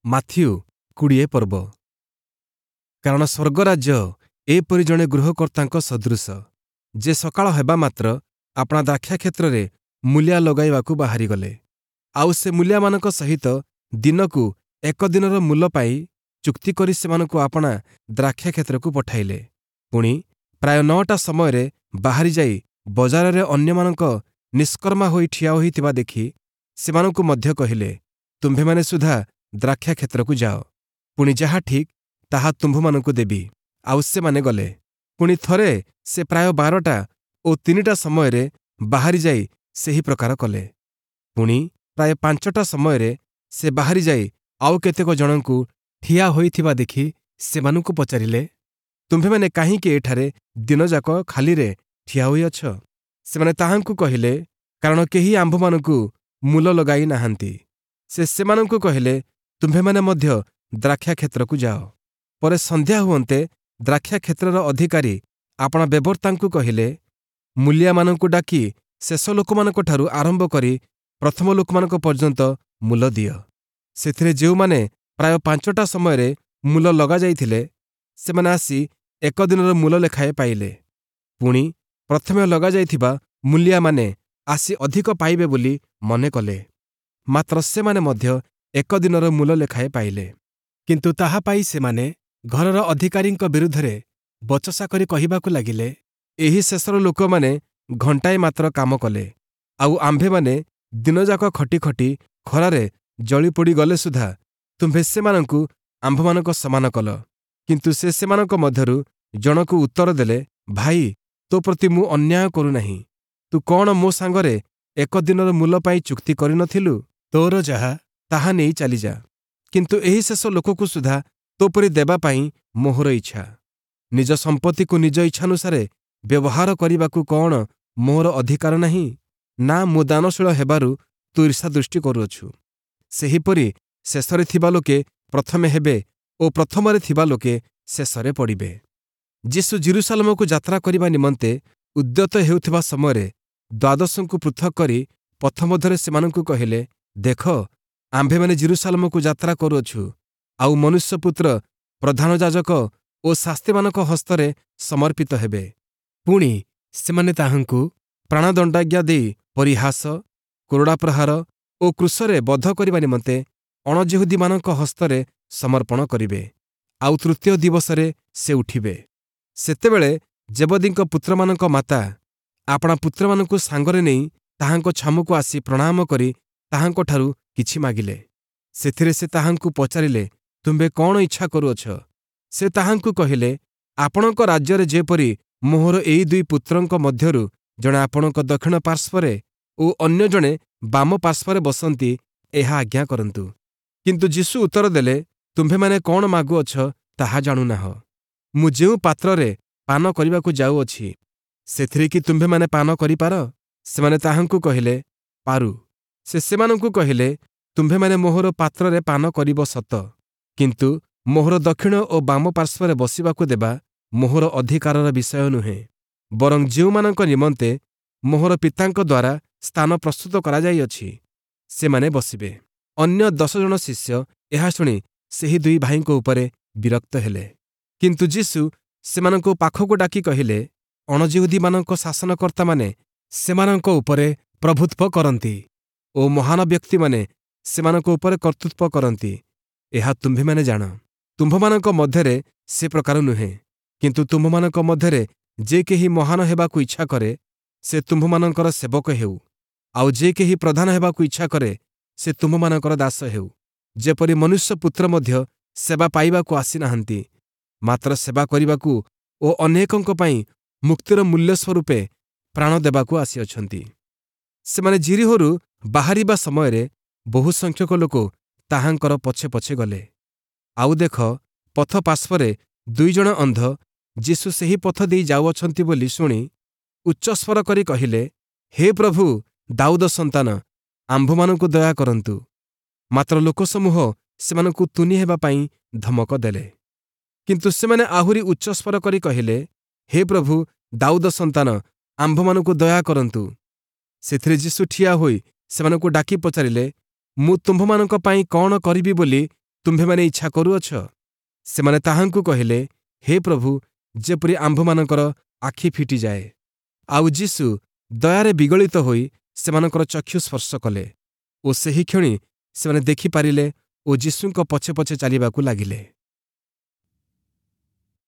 Matthew 20 ପର୍ବ। କାରଣ ସ୍ୱର୍ଗରାଜ୍ୟ ଏପରି ଜଣେ ଗୃହକର୍ତ୍ତାଙ୍କ ସଦୃଶ, ଯେ ସକାଳ ହେବା ମାତ୍ର ଆପଣା ଦ୍ରାକ୍ଷାକ୍ଷେତ୍ରରେ ମୂଲିଆ ଲଗାଇବାକୁ ବାହାରିଗଲେ। ଆଉ ସେ ମୂଲିଆମାନଙ୍କ ସହିତ ଦିନକୁ ଏକ ଦିନର ମୂଲ ପାଇ ଚୁକ୍ତି କରି ସେମାନଙ୍କୁ ଆପଣା ଦ୍ରାକ୍ଷାକ୍ଷେତ୍ରକୁ ପଠାଇଲେ। ପୁଣି ପ୍ରାୟ 9ଟା ସମୟରେ ବାହାରି ଯାଇ ବଜାରରେ ଅନ୍ୟମାନଙ୍କ ନିଷ୍କର୍ମା ହୋଇ ଠିଆ ହୋଇଥିବା ଦେଖି ସେମାନଙ୍କୁ ମଧ୍ୟ କହିଲେ, ତୁମ୍ଭେମାନେ ସୁଦ୍ଧା ଦ୍ରାକ୍ଷାକ୍ଷେତ୍ରକୁ ଯାଅ, ପୁଣି ଯାହା ଠିକ୍ ତାହା ତୁମ୍ଭମାନଙ୍କୁ ଦେବି। ଆଉ ସେମାନେ ଗଲେ। ପୁଣି ଥରେ ସେ ପ୍ରାୟ 12ଟା ଓ 3ଟା ସମୟରେ ବାହାରି ଯାଇ ସେହି ପ୍ରକାର କଲେ। ପୁଣି ପ୍ରାୟ 5ଟା ସମୟରେ ସେ ବାହାରି ଯାଇ ଆଉ କେତେକ ଜଣଙ୍କୁ ଠିଆ ହୋଇଥିବା ଦେଖି ସେମାନଙ୍କୁ ପଚାରିଲେ, ତୁମ୍ଭେମାନେ କାହିଁକି ଏଠାରେ ଦିନଯାକ ଖାଲିରେ ଠିଆ ହୋଇଅଛ? ସେମାନେ ତାହାଙ୍କୁ କହିଲେ, କାରଣ କେହି ଆମ୍ଭମାନଙ୍କୁ ମୂଲ ଲଗାଇ ନାହାନ୍ତି। ସେ ସେମାନଙ୍କୁ କହିଲେ, ତୁମ୍ଭେମାନେ ମଧ୍ୟ ଦ୍ରାକ୍ଷାକ୍ଷେତ୍ରକୁ ଯାଅ। ପରେ ସନ୍ଧ୍ୟା ହୁଅନ୍ତେ ଦ୍ରାକ୍ଷାକ୍ଷେତ୍ରର ଅଧିକାରୀ ଆପଣା ବେବର୍ତ୍ତାଙ୍କୁ କହିଲେ, ମୂଲିଆମାନଙ୍କୁ ଡାକି ଶେଷ ଲୋକମାନଙ୍କଠାରୁ ଆରମ୍ଭ କରି ପ୍ରଥମ ଲୋକମାନଙ୍କ ପର୍ଯ୍ୟନ୍ତ ମୂଲ ଦିଅ। ସେଥିରେ ଯେଉଁମାନେ ପ୍ରାୟ 5ଟା ସମୟରେ ମୂଲ ଲଗାଯାଇଥିଲେ, ସେମାନେ ଆସି ଏକ ଦିନର ମୂଲ ଲେଖାଏଁ ପାଇଲେ। ପୁଣି ପ୍ରଥମେ ଲଗାଯାଇଥିବା ମୂଲିଆମାନେ ଆସି ଅଧିକ ପାଇବେ ବୋଲି ମନେ କଲେ, ମାତ୍ର ସେମାନେ ମଧ୍ୟ ଏକ ଦିନର ମୂଲ ଲେଖାଏଁ ପାଇଲେ। କିନ୍ତୁ ତାହା ପାଇ ସେମାନେ ଘରର ଅଧିକାରୀଙ୍କ ବିରୁଦ୍ଧରେ ବଚସା କରି କହିବାକୁ ଲାଗିଲେ, ଏହି ଶେଷର ଲୋକମାନେ ଘଣ୍ଟାଏ ମାତ୍ର କାମ କଲେ, ଆଉ ଆମ୍ଭେମାନେ ଦିନଯାକ ଖଟି ଖଟି ଖରାରେ ଜଳିପୋଡ଼ି ଗଲେ ସୁଦ୍ଧା ତୁମ୍ଭେ ସେମାନଙ୍କୁ ଆମ୍ଭମାନଙ୍କ ସମାନ କଲ। କିନ୍ତୁ ସେ ସେମାନଙ୍କ ମଧ୍ୟରୁ ଜଣକୁ ଉତ୍ତର ଦେଲେ, ଭାଇ, ତୋ ପ୍ରତି ମୁଁ ଅନ୍ୟାୟ କରୁନାହିଁ। ତୁ କଣ ମୋ ସାଙ୍ଗରେ ଏକ ଦିନର ମୂଲ ପାଇଁ ଚୁକ୍ତି କରିନଥିଲୁ? ତୋର ଯାହା ତାହା ନେଇ ଚାଲିଯା। କିନ୍ତୁ ଏହି ଶେଷ ଲୋକକୁ ସୁଦ୍ଧା ତୋ ପରି ଦେବା ପାଇଁ ମୋହର ଇଚ୍ଛା। ନିଜ ସମ୍ପତ୍ତିକୁ ନିଜ ଇଚ୍ଛାନୁସାରେ ବ୍ୟବହାର କରିବାକୁ କଣ ମୋହର ଅଧିକାର ନାହିଁ? ନା, ମୁଁ ଦାନଶୀଳ ହେବାରୁ ତୁ ଈର୍ଷାଦୃଷ୍ଟି କରୁଅଛୁ? ସେହିପରି ଶେଷରେ ଥିବା ଲୋକେ ପ୍ରଥମେ ହେବେ ଓ ପ୍ରଥମରେ ଥିବା ଲୋକେ ଶେଷରେ ପଡ଼ିବେ। ଯୀଶୁ ଯିରୂଶାଲମକୁ ଯାତ୍ରା କରିବା ନିମନ୍ତେ ଉଦ୍ୟତ ହେଉଥିବା ସମୟରେ ଦ୍ୱାଦଶଙ୍କୁ ପୃଥକ୍ କରି ପଥ ମଧ୍ୟରେ ସେମାନଙ୍କୁ କହିଲେ, ଦେଖ, ଆମ୍ଭେମାନେ ଯିରୂଶାଲମକୁ ଯାତ୍ରା କରୁଅଛୁ, ଆଉ ମନୁଷ୍ୟପୁତ୍ର ପ୍ରଧାନ ଯାଜକ ଓ ଶାସ୍ତ୍ରୀମାନଙ୍କ ହସ୍ତରେ ସମର୍ପିତ ହେବେ। ପୁଣି ସେମାନେ ତାହାଙ୍କୁ ପ୍ରାଣଦଣ୍ଡାଜ୍ଞା ଦେଇ ପରିହାସ, କୋରଡ଼ା ପ୍ରହାର ଓ କ୍ରୁଶରେ ବଧ କରିବା ନିମନ୍ତେ ଅଣଯିହୁଦୀମାନଙ୍କ ହସ୍ତରେ ସମର୍ପଣ କରିବେ, ଆଉ ତୃତୀୟ ଦିବସରେ ସେ ଉଠିବେ। ସେତେବେଳେ ଜେବଦୀଙ୍କ ପୁତ୍ରମାନଙ୍କ ମାତା ଆପଣା ପୁତ୍ରମାନଙ୍କୁ ସାଙ୍ଗରେ ନେଇ ତାହାଙ୍କ ଛାମୁକୁ ଆସି ପ୍ରଣାମ କରି ତାହାଙ୍କଠାରୁ କିଛି ମାଗିଲେ। ସେଥିରେ ସେ ତାହାଙ୍କୁ ପଚାରିଲେ, ତୁମ୍ଭେ କଣ ଇଚ୍ଛା କରୁଅଛ? ସେ ତାହାଙ୍କୁ କହିଲେ, ଆପଣଙ୍କ ରାଜ୍ୟରେ ଯେପରି ମୋହର ଏଇ ଦୁଇ ପୁତ୍ରଙ୍କ ମଧ୍ୟରୁ ଜଣେ ଆପଣଙ୍କ ଦକ୍ଷିଣ ପାର୍ଶ୍ୱରେ ଓ ଅନ୍ୟ ଜଣେ ବାମ ପାର୍ଶ୍ୱରେ ବସନ୍ତି, ଏହା ଆଜ୍ଞା କରନ୍ତୁ। କିନ୍ତୁ ଯୀଶୁ ଉତ୍ତର ଦେଲେ, ତୁମ୍ଭେମାନେ କଣ ମାଗୁଅଛ ତାହା ଜାଣୁନାହଁ। ମୁଁ ଯେଉଁ ପାତ୍ରରେ ପାନ କରିବାକୁ ଯାଉଅଛି, ସେଥିରେ କି ତୁମ୍ଭେମାନେ ପାନ କରିପାର? ସେମାନେ ତାହାଙ୍କୁ କହିଲେ, ପାରୁ। ସେ ସେମାନଙ୍କୁ କହିଲେ, ତୁମ୍ଭେମାନେ ମୋହର ପାତ୍ରରେ ପାନ କରିବ ସତ, କିନ୍ତୁ ମୋହର ଦକ୍ଷିଣ ଓ ବାମ ପାର୍ଶ୍ୱରେ ବସିବାକୁ ଦେବା ମୋହର ଅଧିକାରର ବିଷୟ ନୁହେଁ, ବରଂ ଯେଉଁମାନଙ୍କ ନିମନ୍ତେ ମୋହର ପିତାଙ୍କ ଦ୍ୱାରା ସ୍ଥାନ ପ୍ରସ୍ତୁତ କରାଯାଇଅଛି, ସେମାନେ ବସିବେ। ଅନ୍ୟ 10 ଜଣ ଶିଷ୍ୟ ଏହା ଶୁଣି ସେହି ଦୁଇ ଭାଇଙ୍କ ଉପରେ ବିରକ୍ତ ହେଲେ। କିନ୍ତୁ ଯୀଶୁ ସେମାନଙ୍କୁ ପାଖକୁ ଡାକି କହିଲେ, ଅଣଯିହୁଦୀମାନଙ୍କ ଶାସନକର୍ତ୍ତାମାନେ ସେମାନଙ୍କ ଉପରେ ପ୍ରଭୁତ୍ୱ କରନ୍ତି ଓ ମହାନ ବ୍ୟକ୍ତିମାନେ ସେମାନଙ୍କ ଉପରେ କର୍ତ୍ତୃତ୍ୱ କରନ୍ତି, ଏହା ତୁମ୍ଭେମାନେ ଜାଣ। ତୁମ୍ଭମାନଙ୍କ ମଧ୍ୟରେ ସେ ପ୍ରକାର ନୁହେଁ, କିନ୍ତୁ ତୁମ୍ଭମାନଙ୍କ ମଧ୍ୟରେ ଯେ କେହି ମହାନ ହେବାକୁ ଇଚ୍ଛା କରେ, ସେ ତୁମ୍ଭମାନଙ୍କର ସେବକ ହେଉ, ଆଉ ଯେ କେହି ପ୍ରଧାନ ହେବାକୁ ଇଚ୍ଛା କରେ, ସେ ତୁମ୍ଭମାନଙ୍କର ଦାସ ହେଉ। ଯେପରି ମନୁଷ୍ୟପୁତ୍ର ମଧ୍ୟ ସେବା ପାଇବାକୁ ଆସିନାହାନ୍ତି, ମାତ୍ର ସେବା କରିବାକୁ ଓ ଅନେକଙ୍କ ପାଇଁ ମୁକ୍ତିର ମୂଲ୍ୟ ସ୍ୱରୂପେ ପ୍ରାଣ ଦେବାକୁ ଆସିଅଛନ୍ତି। ସେମାନେ ଯିରୀହୋରୁ ବାହାରିବା ସମୟରେ ବହୁ ସଂଖ୍ୟକ ଲୋକ ତାହାଙ୍କର ପଛେ ପଛେ ଗଲେ। ଆଉ ଦେଖ, ପଥ ପାର୍ଶ୍ୱରେ ଦୁଇଜଣ ଅନ୍ଧ ଯୀଶୁ ସେହି ପଥ ଦେଇ ଯାଉଅଛନ୍ତି ବୋଲି ଶୁଣି ଉଚ୍ଚସ୍ୱର କରି କହିଲେ, ହେ ପ୍ରଭୁ, ଦାଉଦ ସନ୍ତାନ, ଆମ୍ଭମାନଙ୍କୁ ଦୟା କରନ୍ତୁ। ମାତ୍ର ଲୋକସମୂହ ସେମାନଙ୍କୁ ତୁନି ହେବା ପାଇଁ ଧମକ ଦେଲେ। କିନ୍ତୁ ସେମାନେ ଆହୁରି ଉଚ୍ଚସ୍ୱର କରି କହିଲେ, ହେ ପ୍ରଭୁ, ଦାଉଦ ସନ୍ତାନ, ଆମ୍ଭମାନଙ୍କୁ ଦୟା କରନ୍ତୁ। ସେଥିରେ ଯୀଶୁ ଠିଆ ହୋଇ ସେମାନଙ୍କୁ ଡାକି ପଚାରିଲେ, ମୁଁ ତୁମ୍ଭମାନଙ୍କ ପାଇଁ କଣ କରିବି ବୋଲି ତୁମ୍ଭେମାନେ ଇଚ୍ଛା କରୁଅଛ? ସେମାନେ ତାହାଙ୍କୁ କହିଲେ, ହେ ପ୍ରଭୁ, ଯେପରି ଆମ୍ଭମାନଙ୍କର ଆଖି ଫିଟିଯାଏ। ଆଉ ଯୀଶୁ ଦୟାରେ ବିଗଳିତ ହୋଇ ସେମାନଙ୍କର ଚକ୍ଷୁ ସ୍ପର୍ଶ କଲେ ଓ ସେହିକ୍ଷଣି ସେମାନେ ଦେଖିପାରିଲେ ଓ ଯୀଶୁଙ୍କ ପଛେ ପଛେ ଚାଲିବାକୁ ଲାଗିଲେ।